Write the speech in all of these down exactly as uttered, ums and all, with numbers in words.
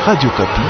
Radio Okapi.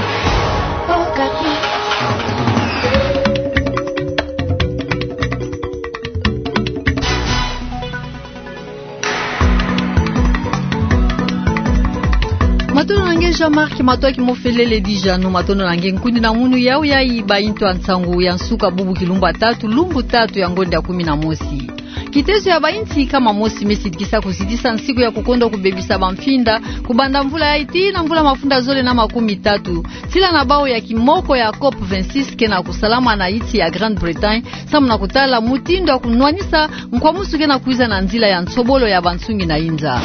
Matondo na nge Jean-Marc, matondo ki mofelele Dijanu, matondo na nge nkundi na munu yau ya bainto ya nsangu ya nsuka bubu kilumbu tatu, lumbu tatu ya ngonda ya kumi na mosi. Kitezo ya bainsi kama mosi mesidikisa kuzitisa nsiku ya kukonda kubebisa bamfinda, kubanda mvula ya iti na mvula mafunda zole na makumi tatu. Sila na bau ya kimoko ya COP vingt-six kena kusalama na insi ya Grande-Bretagne, samu na kutala mutindu ya kunwanisa nkwamusu kena kwiza na nzila ya nsobolo ya bansungi na inza.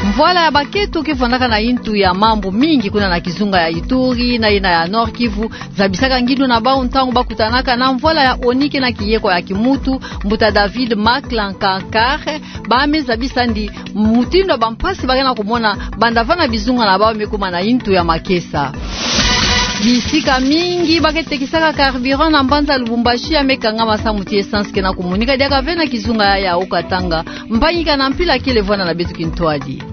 Mvwala ya baketo ke vandaka na intu ya mambu mingi kuna na kizunga ya Ituri na ina ya Nord-Kivu, zabisaka ngindu na bau ntangu bakutanaka na mvwala ya ONU kena kiyeko ya kimuntu, mbuta David Maclan Kankare, ba me zabisa ndi mutindu ya bampasi ba kena kumona banda vana bizunga na bau me kuma na intu ya makesa. Bisika mingi ba ke tekisaka carburant na mbanza Lubumbashi ya me kangama samu ti essence kena kumonika diaka ve na kizunga ya Haut-Katanga. Mpangi kana mpila kele vwanda na beto kintwadi.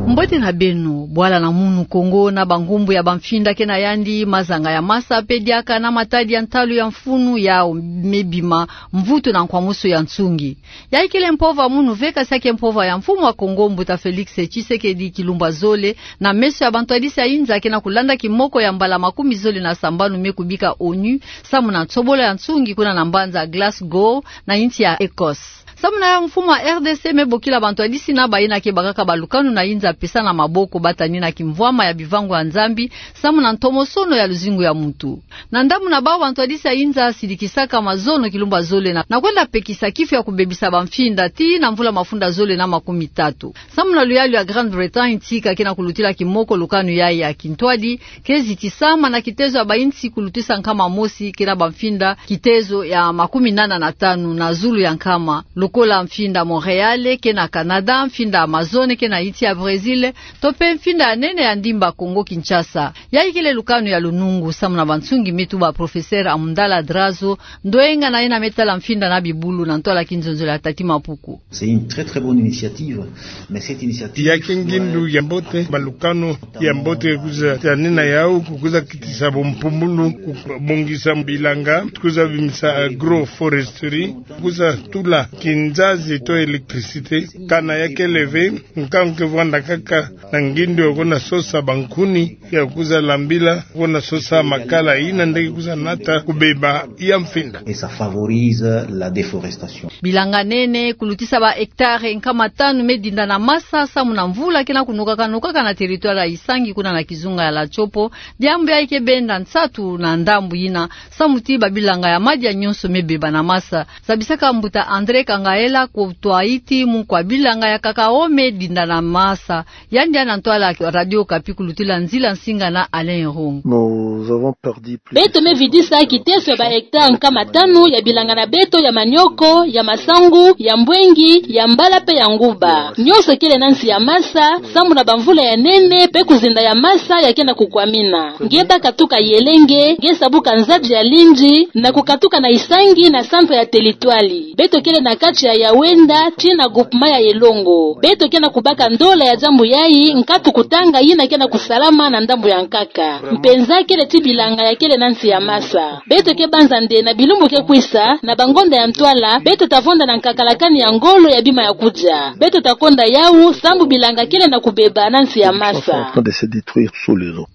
Mbote na beno, bwala na munu Kongo na bangumbu ya bamfinda kena yandi, mazanga ya masa pe diaka na matadi ya ntalu ya mfunu yau me bima mvutu na nkwamusu ya nsungi. Yayi kele mpova munu ve, kasi ya ke mpova ya mfumu wa Kongo, mbuta Felix Tshisekedi, kilumbu ya zole, na meso ya bantwadisi ya inza kena kulanda kimoko ya mbala makumi zole na sambanu me kubika ONU, samu na nsobolo ya nsungi kuna na mbanza Glasgow, na insi ya Ecosse. Samu na yau mfumu wa R D C me bokila bantwadisi na bayina ke bakaka balukanu na inza pesa na maboko ba tani na kimvwama ya bivangu ya Nzambi, samu na ntomosono ya luzingu ya muntu. Na ndambu na bau bantwadisi ya inza sidikisaka mazono kilumbu ya zole na, na kwenda pekisa kifu ya kubebisa bamfinda ti na mvula mafunda zole na makumi tatu. Samu na luyalu ya Grande-Bretagne, nsi ka kena kulutila kimoko lukanu yayi ya kintwadi, ke zitisama na kitezo ya bainsi kulutisa nkama mosi kena bamfinda kitezo ya makumi nana na tanu na zulu ya nkama, lokola mfinda Montréal kena Canada, mfinda Amazone kena insi ya Brésil, to pe mfinda ya nene ya ndimba Congo-Kinshasa. Yayi kele lukanu ya lunungu samu na bansungi, me tuba professeur Amundala Drazo, ndoenga na yena me tala mfinda na bibulu na ntwala kinzonzolo ya Tati Mapuku. C'est une très, très bonne initiative, mais cette initiative... Ya ke ngindu ya mbote, balukanu ya mbote kwiza tanina yau, kwiza kitisa bumpumbulu, kubongisa bilanga, kwiza bimisa agroforesterie, kwiza tula kinzazi to électricité, kana ya kele ve, nkangu ke vwanda kaka na ngindu ya kwenda sosa bankuni, ya kwiza lambila, kwenda sosa makala, yina nde ke kwiza nata kubeba ya mfinda. Et ça favorise la déforestation. Bilanga nene, kulutisa ba hectare nkama tanu me dinda na masa, samu na mvula kena kunokaka nokaka na territoire ya Isangi kuna na kizunga ya Latshopo, diambu yayi ke benda nsatu na ndambu yina, samu ti babilanga ya madia nyonso me beba na masa. Zabisaka mbuta André Kangaela kutwa ti munu kwa bilanga ya cacao me dinda na masa. Yandi ya na ntwala Radio Okapi kulutila nzila nsinga na Alain Rung. Nous avons perdu plus de... Beto me vidisa kiteso ya ba hectare nkama tanu ya bilanga na beto ya manioko, ya masangu, ya mbwengi, ya mbala pe ya nguba. Nyonso kele na nsi ya masa, samu na bamvula ya nene pe kuzinda ya masa ya kena kukwamina. Nge baka tuka Yelenge, nge sabuka Nzabi ya Lindi, na kukatuka na Isangi na centre ya territoire. Beto kele na kati ya Yawenda, tii na groupement ya Elongo. Beto kena kubaka ndola ya diambu yayi, nkatu kutanga yina kena kusalama na ndambu ya nkaka. Mpenza kele ti bilanga ya kele na nsi ya masa. Beto ke banza nde na bilumbu ke kwisa, na bangonda ya ntwala, beto ta vonda na nkakalakani ya ngolo ya bima ya kudia. Beto ta konda yau, samu bilanga kele na kubeba na nsi ya masa. Ils sont en train de se détruire sous les eaux.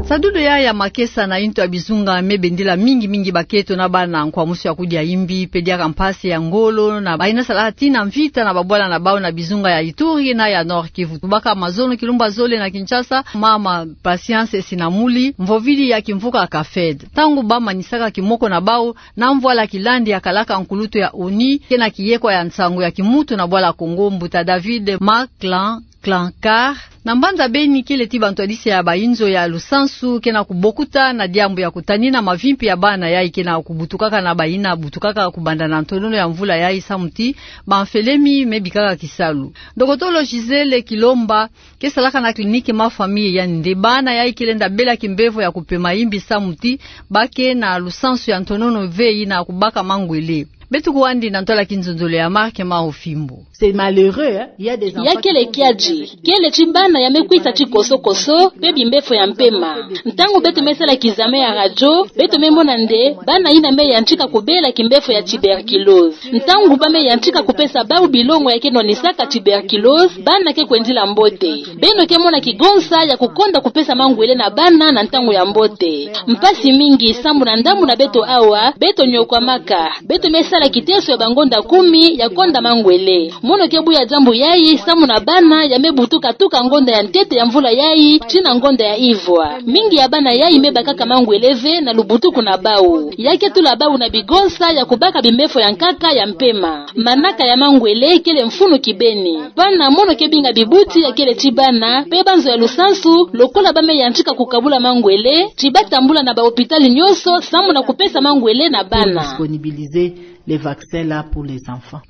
Sadudu ya ya makesa na intu ya bizunga me bendila mingi mingi baketo na bana nkwamusu ya kudia imbi, pe diaka mpasi ya ngolo, na bayina sala tii na mvita na babwala na bau na bizunga ya Ituri na ya Nord-Kivu. Tubaka mazono kilumbu ya zole na Kinshasa, mama Patience Sinamuli, mvovidi ya kimvuka CAFED. Ntangu ba manisaka kimoko na bau, na mvwala kilandi ya kalaka nkulutu ya ONU, kena kiyeko ya nsangu ya kimuntu na bwala Kongo, mbuta David Maclan Clancar, na mbanza Beni, kele ti bantwadisi ya bayinzo ya lusansu, kena kubokuta na diambu ya kutanina mavimpi ya bana yayi kena kubutukaka na bayina butukaka kubanda na ntonono ya mvula yayi samu ti bamfelemi me bikaka kisalu. Dokotolo Gisèle Kilomba, ke salaka na clinique Ma Famille, yandi nde bana yayi ke lenda bela kimbevo ya kupema imbi samu ti ba ke na lusansu ya ntonono ve yina kubaka mangwele. Beto kwandi na ntwala kinzonzolo ya Marc Mao Fimbu. C'est malheureux, hein? Il y a des enfants. Ya kele kiadi, kele ti bana ya me kwita ti koso-koso, pe bimbefo ya mpema. Ntangu beto me sala kizame ya radio, beto me mona nde bana yina me yantika kubela kimbefo ya tuberculose. Ntangu ba me yantika kupesa bau bilongo ya ke nwanisaka tuberculose, bana ke kwendila mbote. Beno ke mona kigonsa ya kukonda kupesa mangwele na bana na ntangu ya mbote. Mpasi mingi, sambu na ndambu na beto awa, beto nyokwamaka. Beto me sala kiteso ya bangonda kumi ya konda mangwele. Mono ke buya diambu yayi, sambu na bana ya me butuka tuka ngonda ya ntete ya mvula yayi tii na ngonda ya ivwa. Mingi ya bana yayi me bakaka mangwele ve na lubutuku na bau. Ya ke tula bau na bigonsa ya kubaka bimbefo ya nkaka ya mpema. Manaka ya mangwele kele mfunu kibeni. Bana, mono ke binga bibuti ya kele ti bana pe banzo ya lusansu, lokola ba me yantika kukabula mangwele, ti ba tambula na ba hôpital nyonso, sambu na kupesa mangwele na bana. Disponibiliser les vaccins là pour les enfants.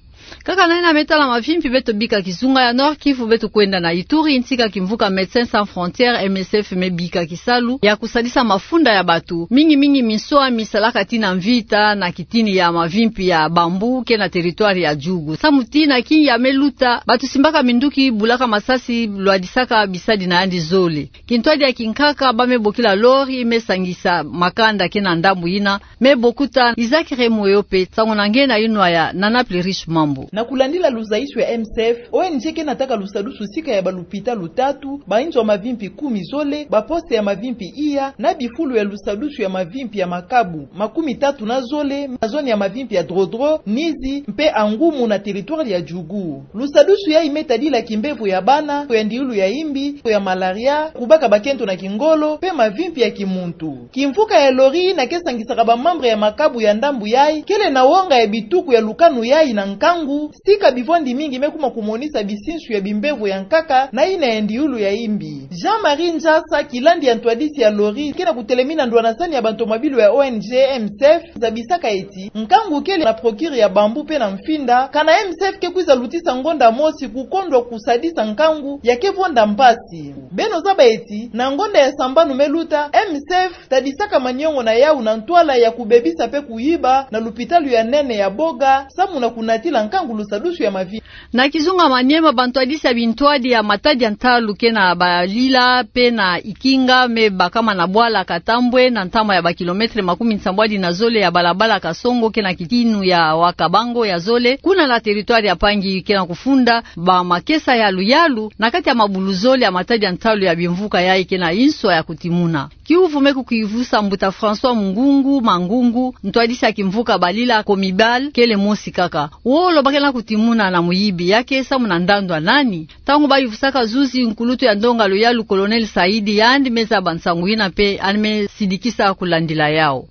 Kaka na yina me tala mavimpi, beto bika kizunga ya Nord-Kivu, beto kwenda na Ituri, ntika kimvuka Médecins Sans Frontières, M S F, me bika kisalu ya kusadisa mafunda ya bato, mingi-mingi minsoa mi salaka tii na mvita na kitini ya mavimpi ya Bambou ke na territoire ya Djugu. Samu tii na kingi ya me luta, bato simbaka minduki, bulaka masasi, lwadisaka bisadi na yandi zole. Kintwadi ya kinkaka, ba me bokila lori, me sangisa makanda ke na ndambu yina, me bokuta. Isaac Remoyo pe, nsangu na nge na yinwa ya Nana Plurish Mambu. Na kulandila luzaisu ya M S F, O N G ke nataka lusadusu sika ya balupitalu tatu, bainzo ya mavimpi kumi zole, baposte ya mavimpi iya, na bifulu ya lusadusu ya mavimpi ya Makabu makumi tatu na zole, na zone ya mavimpi ya Drodro, Nizi, mpe Angumu na territoire ya Djugu. Lusadusu yayi me tadila kimbevo ya bana, ya ndiulu ya imbi, ya malaria, kubaka bakento na kingolo, mpe mavimpi ya kimuntu. Kimvuka ya lori yina ke sangisaka ba membre ya Makabu ya ndambu yayi, kele na wonga ya bituku ya lukanu yayi na nkangu, sika bivwandi mingi me kuma kumonisa bisinsu ya bimbevo ya nkaka na yina ya ndiulu ya imbi. Jean-Marie Njasa, kilandi ya ntwadisi ya lori, ke na kutelemina ndwanasani ya bantomabilu ya O N G M S F, zabisaka eti, nkangu kele na procure ya Bambou mpe na Mfinda, kana M S F ke kwiza lutisa ngonda mosi kukondwa kusadisa nkangu, ya ke vonda mpasi. Beno zaba eti, na ngonda ya sambanu me luta, M S F tadisaka maniongo na yawu na ntwala ya kubebisa mpe kuyiba na lupitalu ya nene ya Boga, samu na kunatila nkangu lusadusu ya mavi. Na kizunga Maniema, bantwadisi ya bintwadi ya matadi ya ntalu ke na Balila mpe na Ikinga me bakama na bwala Katambwe, na ntama ya ba kilomètre makumi nsambwadi na zole ya balabala Kasongo ke na kitinu ya Wakabango ya zole, kuna na territoire ya Pangi, ke na kufunda bamakesa yalu-yalu na kati ya mabulu zole ya matadi ya ntalu ya bimvuka yayi ke na inswa ya kutimuna. Kiuvu me kukivusa mbuta François Mungungu Mangungu, ntwadisi ya kimvuka Balila Comibal, kele mosi kaka. Wolo ba ke na kutimuna na muyibi, ya ke samu na ndandu ya nani? Ntangu bayuvusaka zuzi nkulutu ya ndonga luyalu Colonel Saidi, yandi me zaba nsangu yina mpe yandi me sidikisa kulandila yawu.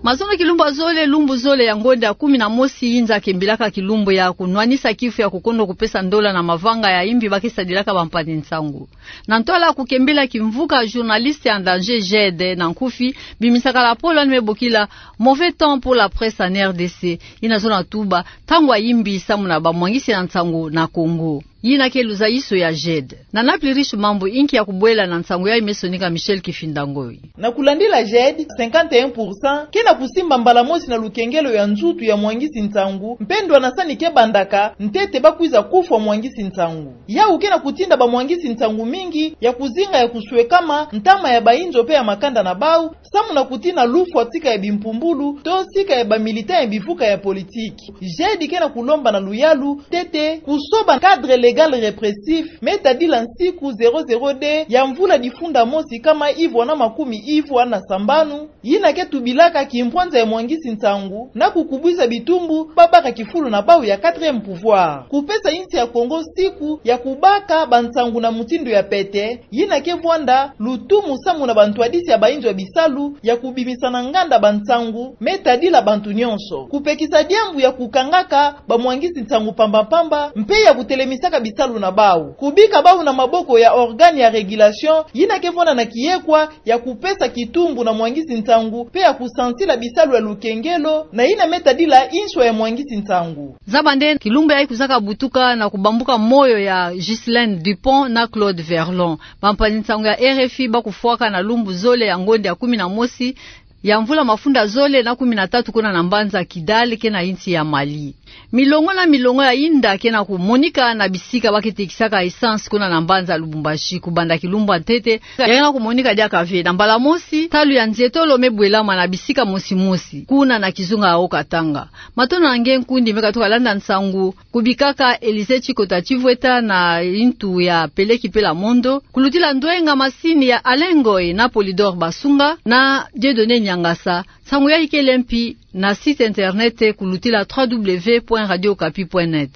Mazono kilumbu ya zole, lumbu zole ya ngonda ya kumi na mosi, yinza kembilaka kilumbu ya kunwanisa kifu ya kukondwa kupesa ndola na mavanga ya imbi ba ke sadilaka bampangi-nsangu. Na ntwala kukembila kimvuka Journalistes en danger, JED na nkufi, bimisaka lapolo yandi me bokila mauvais temps pour la presse en R D C, yina zona tuba ntangu ya imbi samu na bamwangisi na nsangu na Congo. Yina ke luzaiso ya JED. Nana Plurish Mambu, inki ya kubwela na nsangu yayi me sonika Michel Kifinda Ngoyi. Na kulandila JED, cinquante et un pour cent ke na kusimba mbala mosi na lukengelo ya nzutu ya mwangisi-nsangu, mpe ndwanasani ke bandaka, ntete ba kwiza kufwa mwangisi-nsangu. Yawu ke na kutinda bamwangisi-nsangu mingi ya kuzinga ya kuswekama, ntama ya bainzo mpe ya makanda na bawu, samu na kutina lufwa tika ya bimpumbulu, to sika ya bamilitant ya bivuka ya politiki. JED ke na kulomba na luyalu, ntete, kusoba cadre légal répressif, me tadila nsiku zéro zéro deux ya mvula difunda mosi nkama ivwa na makumi ivwa na sambanu, yina ke tubilaka kimpwanza ya mwangisi-nsangu, na kukubwisa bitumbu ba baka kifulu na bawu ya quatrième pouvoir. Kupesa insi ya Congo siku ya kubaka bansangu na mutindu ya pete, yina ke vwanda lutumu samu na bantwadisi ya bainzo ya bisalu ya kubimisa na nganda bansangu me tadila bantu nyonso. Kupekisa diambu ya kukangaka bamwangisi-nsangu mpamba-mpamba, mpe ya kutelemisaka bisalu na bawu. Kubika bawu na maboko ya organe ya régulation, yina ke vwanda na kiyekwa ya kupesa kitumbu na mwangisi-nsangu, mpe ya kusansila bisalu ya lukengelo, na yina me tadila inswa ya mwangisi-nsangu. Zaba nde, kilumbu yayi kwizaka butuka na kubambuka moyo ya Ghislaine Dupont na Claude Verlon. Bampangi-nsangu ya R F I ba kufwaka na lumbu zole ya ngonda ya kumi na mosi, ya mvula mafunda zole na kumi na tatu kuna na mbanza Kidal, ke na insi ya Mali. Milongo na milongo ya inda ke na kumonika na bisika ba ke tekisaka essence kuna na mbanza Lubumbashi, kubanda kilumbu ya ntete. Ya ke na kumonika diaka ve, na mbala mosi, ntalu ya nzietolo me bwelama na bisika mosi mosi kuna na kizunga ya Haut-Katanga. Matondo na nge nkundi me katuka landa nsangu. Kubikaka Elise Chikota Chivweta na intu ya Peleki Pela Mondo, kulutila ndwenga masini ya Alain Ngoy na Polydor Basunga na Dieudonné Niangasa. Nsangu ya ikele mpi na site internet kulutila trois W point radio okapi point net.